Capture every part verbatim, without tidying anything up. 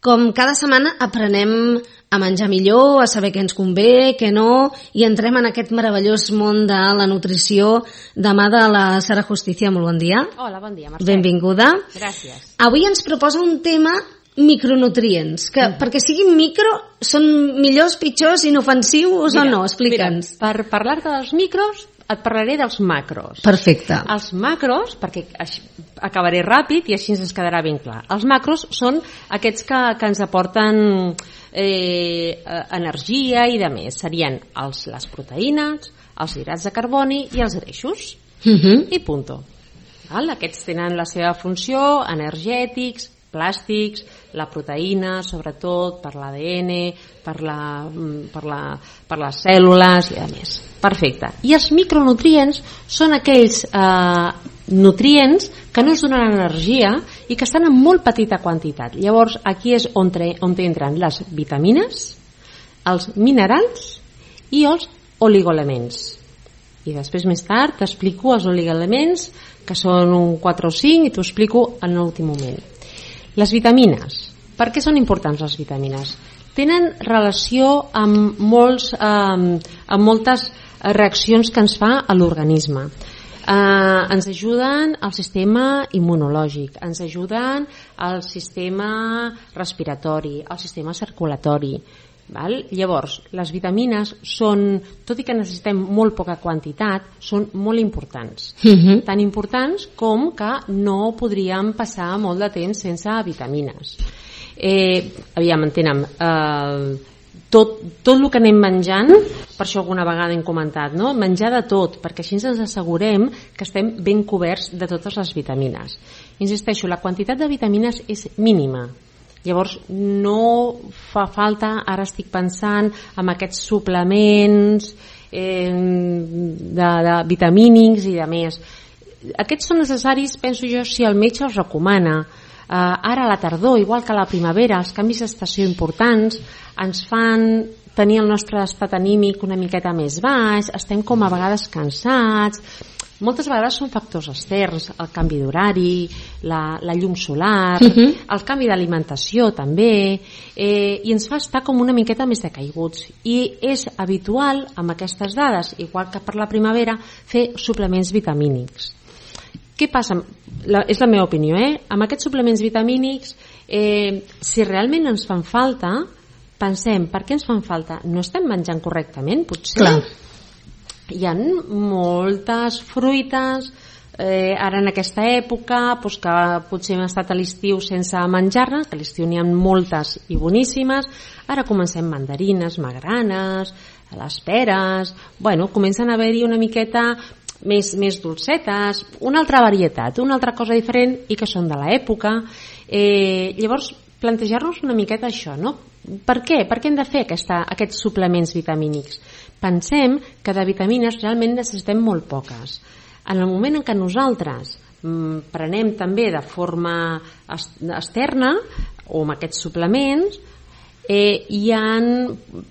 com cada setmana aprenem a menjar millor, a saber què ens convé, què no, i entrem en aquest meravellós món de la nutrició de mà de la Sara Justicia. Molt bon dia. Hola, bon dia, Mercè. Benvinguda. Gràcies. Avui ens proposa un tema micronutrients, que mm. perquè siguin micro són millors, pitjors, inofensius mira, o no? Explica'ns. Mira, per parlar-te dels micros et parlaré dels macros. Perfecte. Els macros, perquè acabaré ràpid i així ens quedarà ben clar. Els macros són aquests que, que ens aporten eh, energia i de més. Serien els, les proteïnes, els hidrats de carboni i els greixos. Uh-huh. I punto. Val? Aquests tenen la seva funció, energètics, plàstics, la proteïna, sobretot per l'A D N, per, la, per, la, per les cèl·lules i a més. Perfecte. I els micronutrients són aquells eh, nutrients que no ens donen energia i que estan en molt petita quantitat. Llavors, aquí és on, tre, on entren les vitamines, els minerals i els oligoelements. I després, més tard, t'explico els oligoelements, que són un quatre o cinc, i t'ho explico en l'últim moment. Les vitamines. Per què són importants les vitamines? Tenen relació amb, molts, eh, amb moltes reaccions que ens fa a l'organisme. Eh, ens ajuden al sistema immunològic, ens ajuden al sistema respiratori, al sistema circulatori. Val? Llavors, les vitamines són, tot i que necessitem molt poca quantitat, són molt importants. Uh-huh. Tan importants com que no podríem passar molt de temps sense vitamines. Eh, aviam, entenem, eh, tot, tot el que anem menjant, per això alguna vegada hem comentat, no? Menjar de tot, perquè així ens assegurem que estem ben coberts de totes les vitamines. Insisteixo, la quantitat de vitamines és mínima. Llavors no fa falta, ara estic pensant en aquests suplements eh, de, de vitamínics i de més. Aquests són necessaris, penso jo, si el metge els recomana. Eh, ara a la tardor, igual que a la primavera, els canvis d'estació importants ens fan tenir el nostre estat anímic una miqueta més baix, estem com a vegades cansats. Moltes vegades són factors externs, el canvi d'horari, la, la llum solar, uh-huh. el canvi d'alimentació també, eh, i ens fa estar com una miqueta més decaiguts. I és habitual, amb aquestes dades, igual que per la primavera, fer suplements vitamínics. Què passa? La, és la meva opinió, eh? Amb aquests suplements vitamínics, eh, si realment ens fan falta, pensem, per què ens fan falta? No estem menjant correctament, potser? Clar. Hi ha moltes fruites eh, ara en aquesta època doncs que potser hem estat a l'estiu sense menjar-ne, que a l'estiu n'hi ha moltes i boníssimes. Ara comencem mandarines, magranes, les peres, bueno, comencen a haver-hi una miqueta més, més dolcetes, una altra varietat, una altra cosa diferent i que són de l'època. Eh, llavors, plantejar-nos una miqueta això, no? Per què? Per què hem de fer aquesta, aquests suplements vitamínics? Pensem que de vitamines realment necessitem molt poques. En el moment en què nosaltres mm, prenem també de forma externa o amb aquests suplements, eh, hi ha,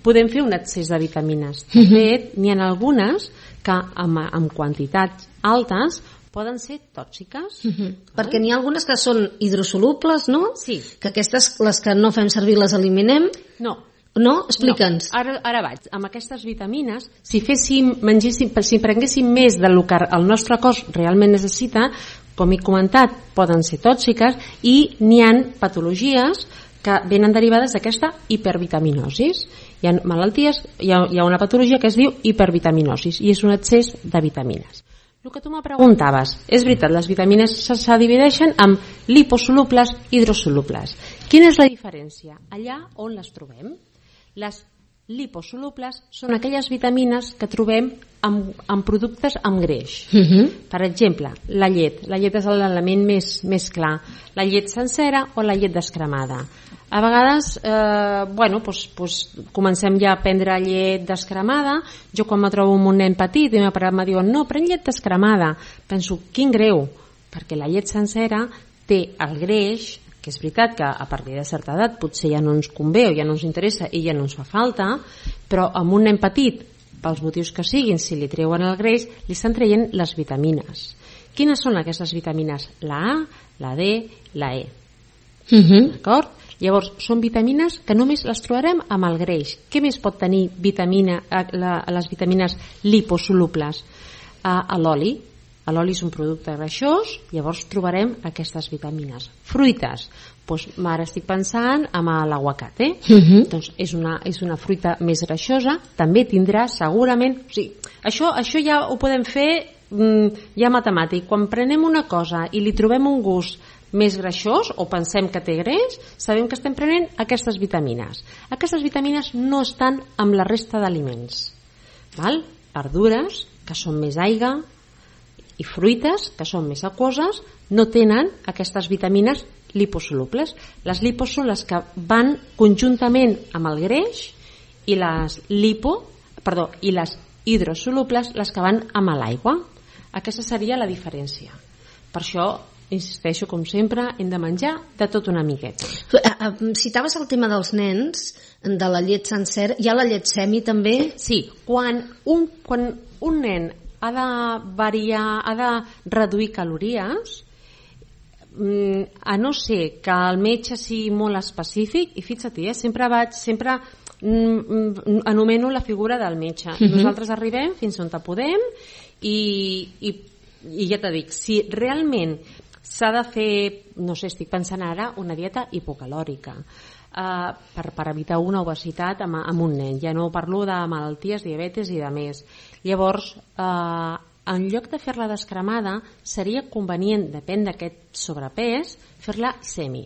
podem fer un excés de vitamines. De fet, n'hi ha algunes que amb, amb quantitats altes poden ser tòxiques. Uh-huh. Perquè n'hi ha algunes que són hidrosolubles, no? Sí. Que aquestes, les que no fem servir, les eliminem? No. No? Explica'ns. No. Ara, ara vaig. Amb aquestes vitamines, si féssim, mengéssim, si prenguéssim més del que el nostre cos realment necessita, com he comentat, poden ser tòxiques i n'hi ha patologies que venen derivades d'aquesta hipervitaminosis. Hi ha malalties, hi ha, hi ha una patologia que es diu hipervitaminosis i és un excés de vitamines. El que tu me preguntaves, és veritat, les vitamines se, se divideixen en liposolubles i hidrosolubles. Quina és la diferència? Allà on les trobem, les liposolubles són aquelles vitamines que trobem en, en productes amb greix. Uh-huh. Per exemple, la llet. La llet és l'element més, més clar. La llet sencera o la llet descremada. A vegades, eh, bueno, doncs, doncs, comencem ja a prendre llet descremada. Jo quan me trobo amb un nen petit i meu pare me diuen no, pren llet descremada. Penso, quin greu, perquè la llet sencera té el greix, que és veritat que a partir de certa edat potser ja no ens convé o ja no ens interessa i ja no ens fa falta, però amb un nen petit, pels motius que siguin, si li treuen el greix, li estan traient les vitamines. Quines són aquestes vitamines? La A, la D, la E. Uh-huh. D'acord? Llavors, són vitamines que només les trobarem amb el greix. Què més pot tenir vitamina, la, les vitamines liposolubles? A, a l'oli. L'oli és un producte greixós, llavors trobarem aquestes vitamines. Fruites, doncs ara estic pensant en l'aguacate, uh-huh. doncs és una, és una fruita més greixosa, també tindrà segurament, o sigui, això, això ja ho podem fer mm, ja matemàtic, quan prenem una cosa i li trobem un gust més greixós o pensem que té greix, sabem que estem prenent aquestes vitamines. Aquestes vitamines no estan amb la resta d'aliments. Val? Verdures, que són més aigua, i fruites, que són més aquoses, no tenen aquestes vitamines liposolubles. Les lipos són les que van conjuntament amb el greix i les lipo, perdó, i les hidrosolubles les que van amb l'aigua. Aquesta seria la diferència. Per això, insisteixo, com sempre, hem de menjar de tot una miqueta. Citaves el tema dels nens, de la llet sencer, hi ha la llet semi també? Sí, quan un, quan un nen ha de variar, ha de reduir calories, a no ser que el metge sigui molt específic, i fixa't, eh, sempre vaig, sempre anomeno la figura del metge. Uh-huh. Nosaltres arribem fins on podem i, i, i ja t'ho dic, si realment s'ha de fer, no sé, estic pensant ara, una dieta hipocalòrica, Uh, per, per evitar una obesitat amb, amb un nen. Ja no parlo de malalties, diabetes i de més. Llavors, uh, en lloc de fer-la descremada, seria convenient, depèn d'aquest sobrepès, fer-la semi.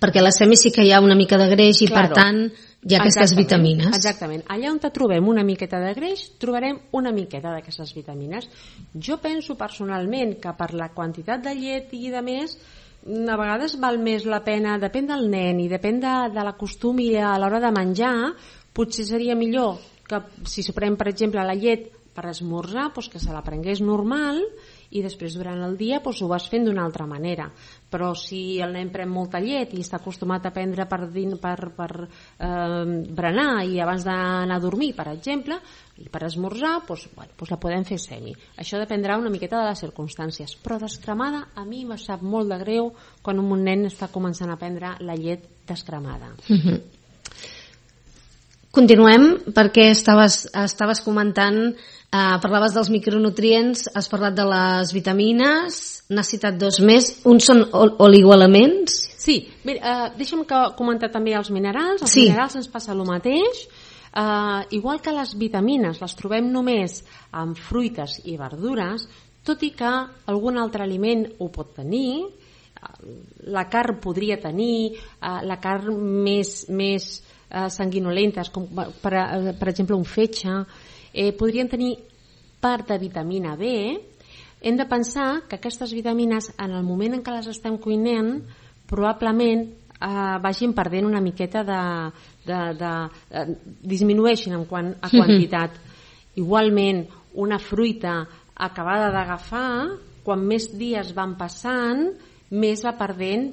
Perquè la semi sí que hi ha una mica de greix i claro, per tant hi ha aquestes exactament, vitamines. Exactament. Allà on trobem una miqueta de greix, trobarem una miqueta d'aquestes vitamines. Jo penso personalment que per la quantitat de llet i de més, a vegades val més la pena, depèn del nen i depèn de, de la costum i a l'hora de menjar, potser seria millor que si se pren, per exemple, la llet per esmorzar, doncs que se la prengués normal i després durant el dia doncs ho vas fent d'una altra manera. Però si el nen pren molta llet i està acostumat a prendre per, per, per eh, berenar i abans d'anar a dormir, per exemple, i per esmorzar, doncs, bueno, doncs la podem fer semi. Això dependrà una miqueta de les circumstàncies, però descremada a mi me sap molt de greu quan un nen està començant a prendre la llet descremada. Uh-huh. Continuem, perquè estaves, estaves comentant, eh, parlaves dels micronutrients, has parlat de les vitamines, n'has citat dos més, uns són oligoelements? Sí, mira, eh, deixa'm que comentar també els minerals. Els sí. minerals ens passa el mateix. Uh, igual que les vitamines les trobem només en fruites i verdures, tot i que algun altre aliment ho pot tenir, la carn podria tenir, uh, la carn més, més uh, sanguinolentes, com per, uh, per exemple un fetge, eh, podrien tenir part de vitamina B. Hem de pensar que aquestes vitamines, en el moment en què les estem cuinant, probablement Uh, vagin perdent una miqueta de, de, de, de disminueixin en quant a quantitat. Mm-hmm. Igualment, una fruita acabada d'agafar, quan més dies van passant, més va perdent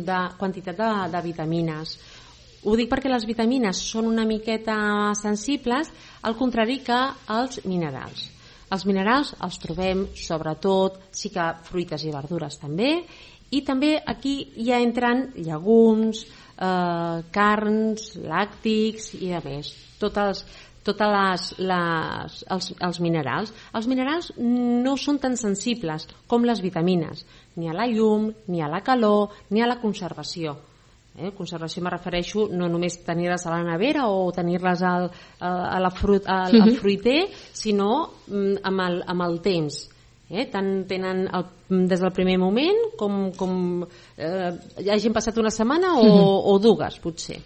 de quantitat de, de vitamines. Ho dic perquè les vitamines són una miqueta sensibles, al contrari que els minerals. Els minerals els trobem sobretot, sí que fruites i verdures també, i també aquí ja entren llegums, eh, carns, làctics i a més, totes, totes les, les, els, els minerals. Els minerals no són tan sensibles com les vitamines, ni a la llum, ni a la calor, ni a la conservació. Eh? Conservació me refereixo no només tenir-les a la nevera o tenir-les al, a, a la fruit, al, al fruiter, sinó mm, amb, el, amb el temps. Eh, tant tenen el, des del primer moment com, com eh, hagin passat una setmana o, o dues potser.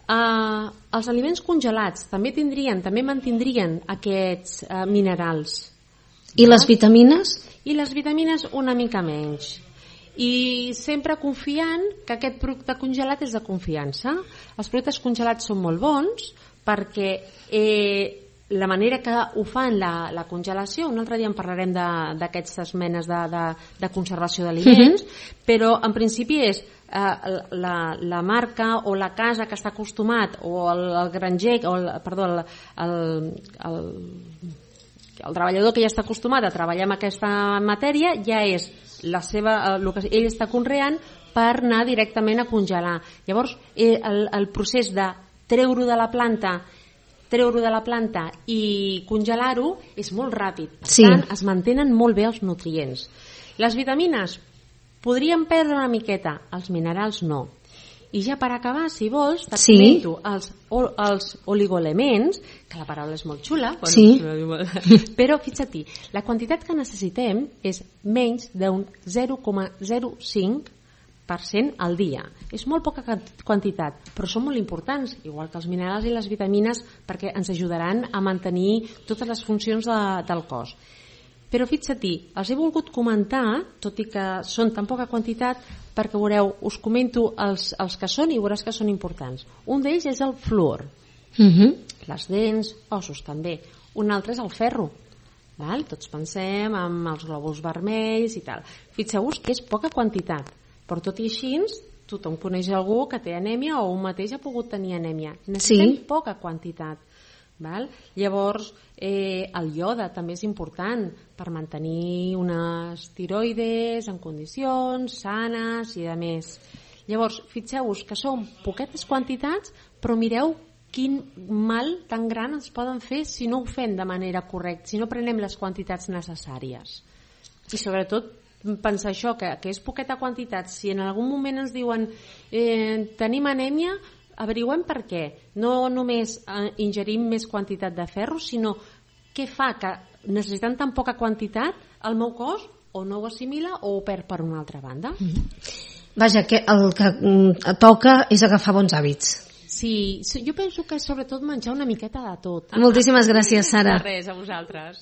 Uh, els aliments congelats també tindrien, també mantindrien aquests uh, minerals. I les vitamines? I les vitamines una mica menys. I sempre confiant que aquest producte congelat és de confiança. Els productes congelats són molt bons perquè eh, la manera que ho fan la, la congelació, un altre dia en parlarem d'aquestes menes de, de, de conservació d'aliments, uh-huh. però en principi és eh, la, la marca o la casa que està acostumat o el, el granger, o el, perdó, el, el, el, el treballador que ja està acostumat a treballar amb aquesta matèria ja és la seva, el que ell està conreant per anar directament a congelar. Llavors, el, el procés de treure-ho de la planta treure-ho de la planta i congelar-ho és molt ràpid. Per sí. tant, es mantenen molt bé els nutrients. Les vitamines podrien perdre una miqueta, els minerals no. I ja per acabar, si vols, te sí. comento els, els oligoelements, que la paraula és molt xula, bueno, sí. però fixa't-hi, la quantitat que necessitem és menys d'un zero coma zero cinc per cent al dia. És molt poca quantitat, però són molt importants, igual que els minerals i les vitamines, perquè ens ajudaran a mantenir totes les funcions de, del cos. Però fixa't-hi, els he volgut comentar, tot i que són tan poca quantitat, perquè veureu, us comento els, els que són i veuràs que són importants. Un d'ells és el fluor. Uh-huh. Les dents, ossos també. Un altre és el ferro. Val? Tots pensem en els glòbuls vermells i tal. Fixeu-vos que és poca quantitat, però tot i així tothom coneix algú que té anèmia o un mateix ha pogut tenir anèmia. Necessitem sí. poca quantitat. Val? Llavors, eh, el iode també és important per mantenir unes tiroides en condicions sanes i de més. Llavors, fixeu-vos que són poquetes quantitats, però mireu quin mal tan gran ens poden fer si no ho fem de manera correcta, si no prenem les quantitats necessàries. I sobretot pensar això, que, que és poqueta quantitat. Si en algun moment ens diuen eh, tenim anèmia, averiguem per què. No només eh, ingerim més quantitat de ferro, sinó què fa que necessitant tan poca quantitat el meu cos o no ho assimila o ho perd per una altra banda. Mm-hmm. Vaja, que el que mm, toca és agafar bons hàbits. Sí, jo penso que sobretot menjar una miqueta de tot. Moltíssimes gràcies, Sara. De res, a vosaltres.